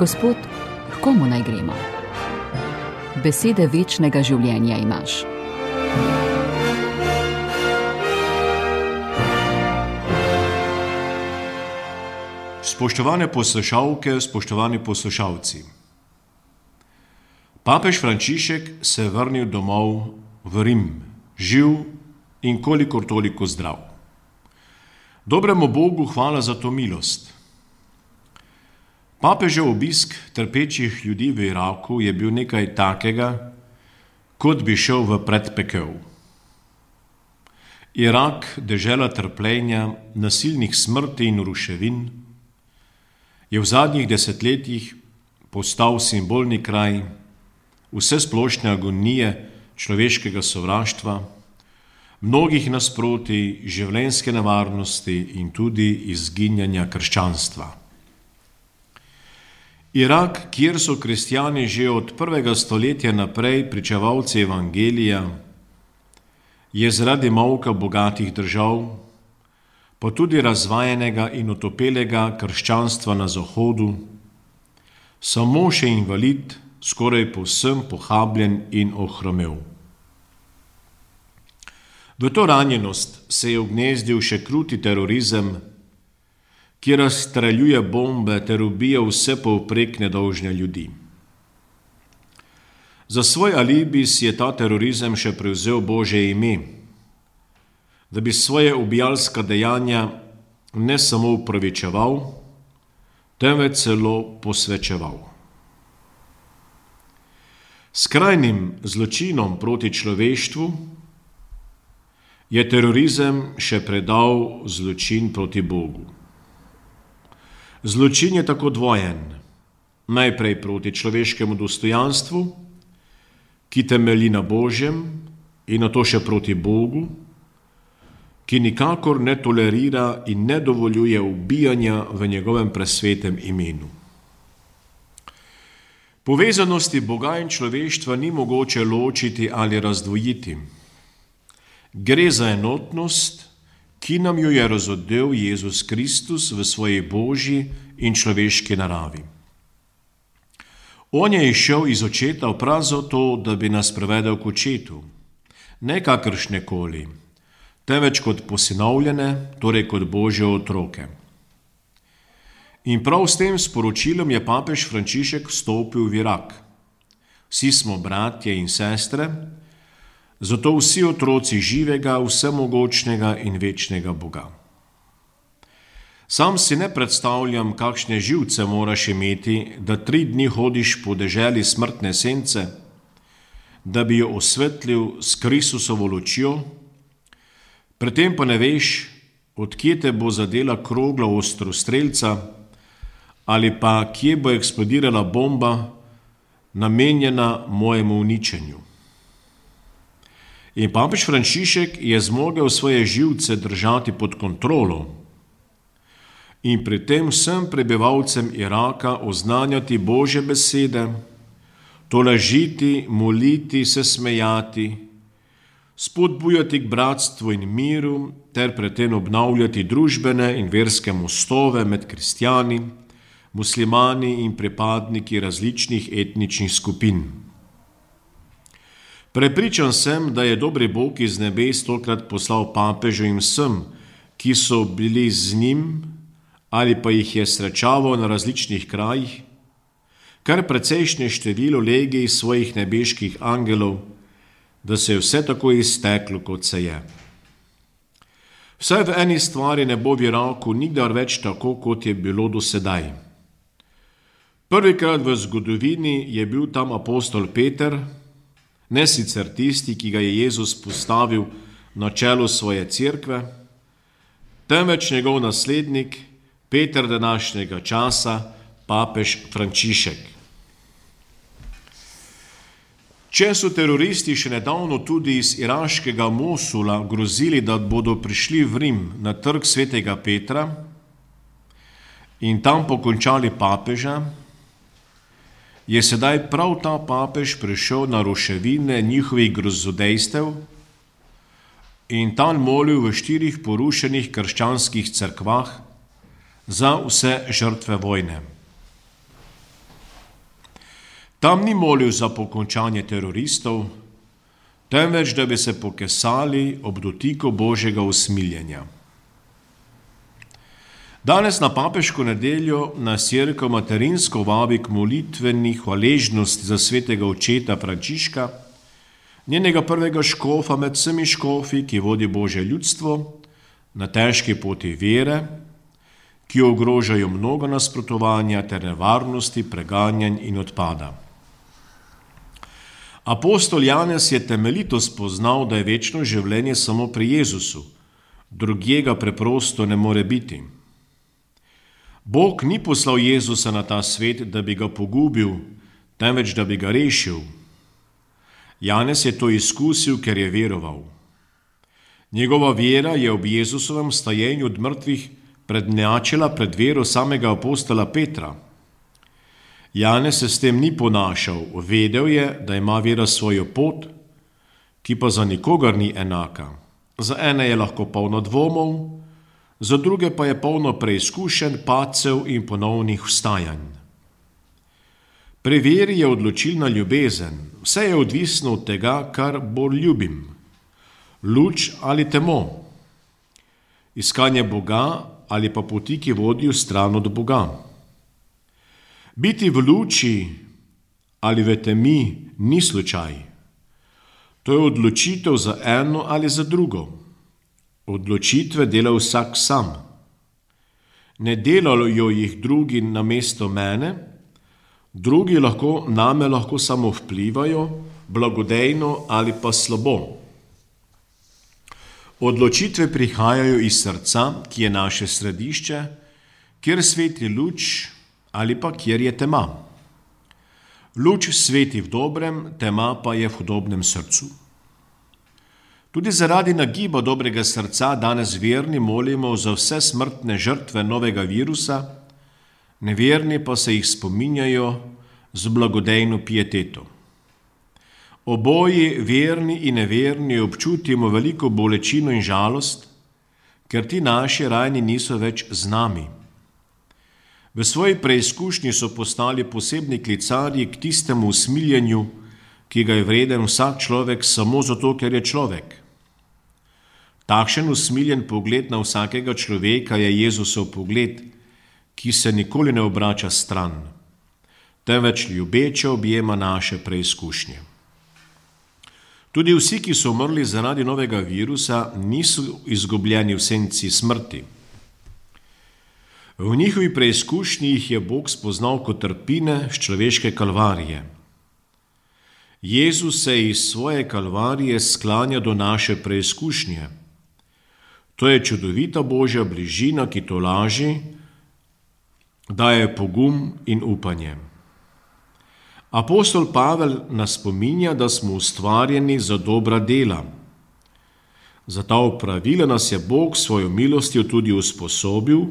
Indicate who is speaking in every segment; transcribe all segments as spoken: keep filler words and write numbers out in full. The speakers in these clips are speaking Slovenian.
Speaker 1: Gospod, k komu naj gremo? Besede večnega življenja imaš.
Speaker 2: Spoštovane poslušalke, spoštovani poslušalci. Papež Frančišek se je vrnil domov v Rim, živ in kolikor toliko zdrav. Dobremu Bogu hvala za to milost. Papežev obisk trpečih ljudi v Iraku je bil nekaj takega, kot bi šel v predpekel. Irak, dežela trpljenja, nasilnih smrti in ruševin, je v zadnjih desetletjih postal simbolni kraj vsesplošne agonije človeškega sovraštva, mnogih nasprotij, življenjske nevarnosti in tudi izginjanja krščanstva. Irak, kjer so kristjani že od prvega stoletja naprej pričevalci evangelija, je zaradi molka bogatih držav, pa tudi razvajenega in utopelega krščanstva na Zahodu, samo še invalid, skoraj povsem pohabljen in ohromel. V to ranjenost se je ugnezdil še kruti terorizem, ki razstreljuje bombe ter ubija vse povprek nedolžne ljudi. Za svoj alibi si je ta terorizem še prevzel Božje ime, da bi svoje ubijalska dejanja ne samo upravičeval, temveč celo posvečeval. Skrajnim zločinom proti človeštvu je terorizem še predal zločin proti Bogu. Zločin je tako dvojen, najprej proti človeškemu dostojanstvu, ki temelji na Božjem, in nato še proti Bogu, ki nikakor ne tolerira in ne dovoljuje ubijanja v njegovem presvetem imenu. Povezanosti Boga in človeštva ni mogoče ločiti ali razdvojiti. Gre za enotnost, ki nam jo je razodel Jezus Kristus v svoji božji in človeški naravi. On je izšel iz očeta prav zato, da bi nas prevedel k očetu, ne kakršnekoli, temveč kot posinovljene, torej kot Božje otroke. In prav s tem sporočilom je papež Frančišek vstopil v Irak. Vsi smo bratje in sestre, zato vsi otroci živega, vsemogočnega in večnega Boga. Sam si ne predstavljam, kakšne živce moraš imeti, da tri dni hodiš po deželi smrtne sence, da bi jo osvetlil s Kristusovo lučjo, predtem pa ne veš, odkje te bo zadela krogla ostrostrelca ali pa kje bo eksplodirala bomba, namenjena mojemu uničenju. In papež Frančišek je zmogel svoje živce držati pod kontrolo in pri tem vsem prebivalcem Iraka oznanjati Božje besede, tolažiti, moliti, se smejati, spodbujati k bratstvu in miru ter predtem obnavljati družbene in verske mostove med kristjani, muslimani in pripadniki različnih etničnih skupin. Prepričan sem, da je dobri Bog iz nebes tokrat poslal papežu in vsem, ki so bili z njim ali pa jih je srečaval na različnih krajih, kar precejšnje število legij svojih nebeških angelov, da se je vse tako izteklo, kot se je. Vsaj v eni stvari ne bo v Iraku nikdar več tako, kot je bilo do sedaj. Prvikrat v zgodovini je bil tam apostol Peter, ne sicer tisti, ki ga je Jezus postavil na čelo svoje cerkve, temveč njegov naslednik, Peter današnjega časa, papež Frančišek. Če so teroristi še nedavno tudi iz iraškega Mosula grozili, da bodo prišli v Rim na trg svetega Petra in tam pokončali papeža, je sedaj prav ta papež prišel na ruševine njihovih grozodejstev in tam molil v štirih porušenih krščanskih cerkvah za vse žrtve vojne. Tam ni molil za pokončanje teroristov, temveč da bi se pokesali ob dotiku Božjega usmiljenja. Danes na papeško nedeljo nas Cerkev materinsko vabi k molitveni hvaležnosti za svetega očeta Frančiška, njenega prvega škofa med vsemi škofi, ki vodi Božje ljudstvo na težki poti vere, ki ogrožajo mnogo nasprotovanja ter nevarnosti, preganjanj in odpada. Apostol Janez je temeljito spoznal, da je večno življenje samo pri Jezusu, drugega preprosto ne more biti. Bog ni poslal Jezusa na ta svet, da bi ga pogubil, temveč da bi ga rešil. Janez je to izkusil, ker je veroval. Njegova vera je ob Jezusovem stajenju od mrtvih prednjačila pred vero samega apostola Petra. Janez se s tem ni ponašal, vedel je, da ima vera svojo pot, ki pa za nikogar ni enaka. Za ene je lahko polno dvomov, za druge pa je polno preizkušenj, padcev in ponovnih vstajanj. Pri veri je odločilna ljubezen, vse je odvisno od tega, kar bolj ljubim. Luč ali temo, iskanje Boga ali pa poti, ki vodijo stran od Boga. Biti v luči ali v temi ni slučaj. To je odločitev za eno ali za drugo. Odločitve dela vsak sam. Ne delajo jih drugi namesto mene, drugi lahko name lahko samo vplivajo, blagodejno ali pa slabo. Odločitve prihajajo iz srca, ki je naše središče, kjer sveti luč ali pa kjer je tema. Luč sveti v dobrem, tema pa je v hudobnem srcu. Tudi zaradi nagiba dobrega srca danes verni molimo za vse smrtne žrtve novega virusa, neverni pa se jih spominjajo z blagodejno pieteto. Oboji, verni in neverni, občutimo veliko bolečino in žalost, ker ti naši rajni niso več z nami. V svoji preizkušnji so postali posebni klicarji k tistemu usmiljenju, ki ga je vreden vsak človek samo zato, ker je človek. Takšen usmiljen pogled na vsakega človeka je Jezusov pogled, ki se nikoli ne obrača stran, temveč ljubeče objema naše preizkušnje. Tudi vsi, ki so umrli zaradi novega virusa, niso izgubljeni v senci smrti. V njihovi preizkušnji jih je Bog spoznal kot trpine z človeške kalvarije. Jezus se iz svoje kalvarije sklanja do naše preizkušnje. To je čudovita Božja bližina, ki tolaži, daje pogum in upanje. Apostol Pavel nas spominja, da smo ustvarjeni za dobra dela. Za ta opravila nas je Bog svojo milostjo tudi usposobil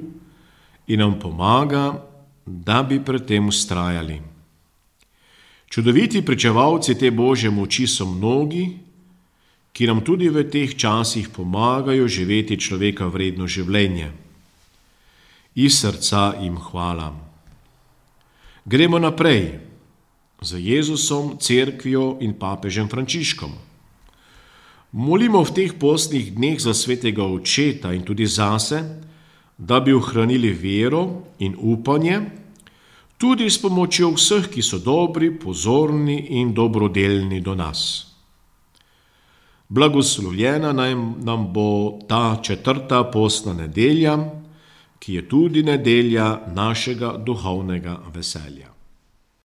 Speaker 2: in nam pomaga, da bi pred tem vztrajali. Čudoviti pričevalci te Božje moči so mnogi, ki nam tudi v teh časih pomagajo živeti človeka vredno življenje. Iz srca jim hvala. Gremo naprej za Jezusom, cerkvijo in papežem Frančiškom. Molimo v teh postnih dneh za svetega očeta in tudi zase, da bi ohranili vero in upanje, tudi s pomočjo vseh, ki so dobri, pozorni in dobrodelni do nas. Blagoslovljena nam bo ta četrta postna nedelja, ki je tudi nedelja našega duhovnega veselja.